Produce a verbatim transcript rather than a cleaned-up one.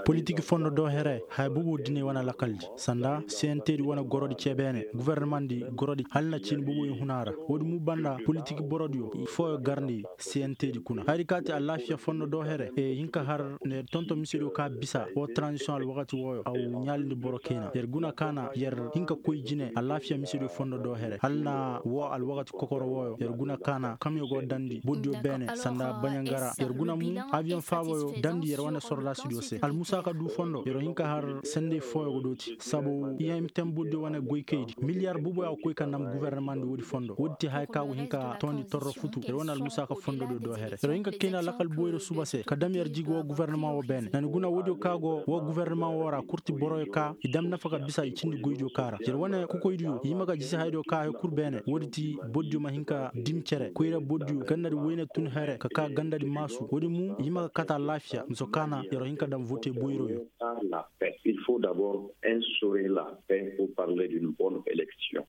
Politik fondo do here haya bubu dine wane lakaldi sanda cnt di wane gorodi cebeene guvernemandi gorodi hala na ciini bubu i huna ra. Woodi mu banda politik borodiyo fooyo garndi cnt di kuna hari kaati alaafiya fondo do here e hin ka har ne tonton misediyo ka bisa wo tranzisiyoŋ alwakati wooyo aw ɲaalindi boro kayna yer guna kaana yer hin ka koy jine alaafiya misediyo fondo do here hala na wo alwakati kokoro wooyo yer guna kaana kamyo go dandi boddiyo beene sanda baɲangara yer guna mu aviyoŋ faaboyo dandi yer wane sordaasidiyo se almusaaka du fondo yer hin ka har senday fooyo go dooti sabu i hemtem boddiyo wane goykaydi miliyar buboyo a ga koy ka nam guvernemandi woodi fondo woodi te haya ka go hin ka toondi torro futu yer wane almusaaka fondodiyo do here yer hin ka kayna lakal boyro suba se ka dam yer jig wo guverneman wo beene nani guna woodiyo ka go wo guverneman wo ra kurti boroyo ka i dam nafa ka bisa i cindi goydiyo ka ra yer wane kokoydiyo i ma ga jisi hayadiyo ka hay kul beene woodi ti bordiyo ma hin ka dim cere koyra bordiyo gandadi woyne tun here ka ka gandadi maasu woodi mu i ma ga kata laafiya miso kaana yer hin ka dam vote boyroyo. Il faut d'abord instaurer la paix pour parler d'une bonne élection.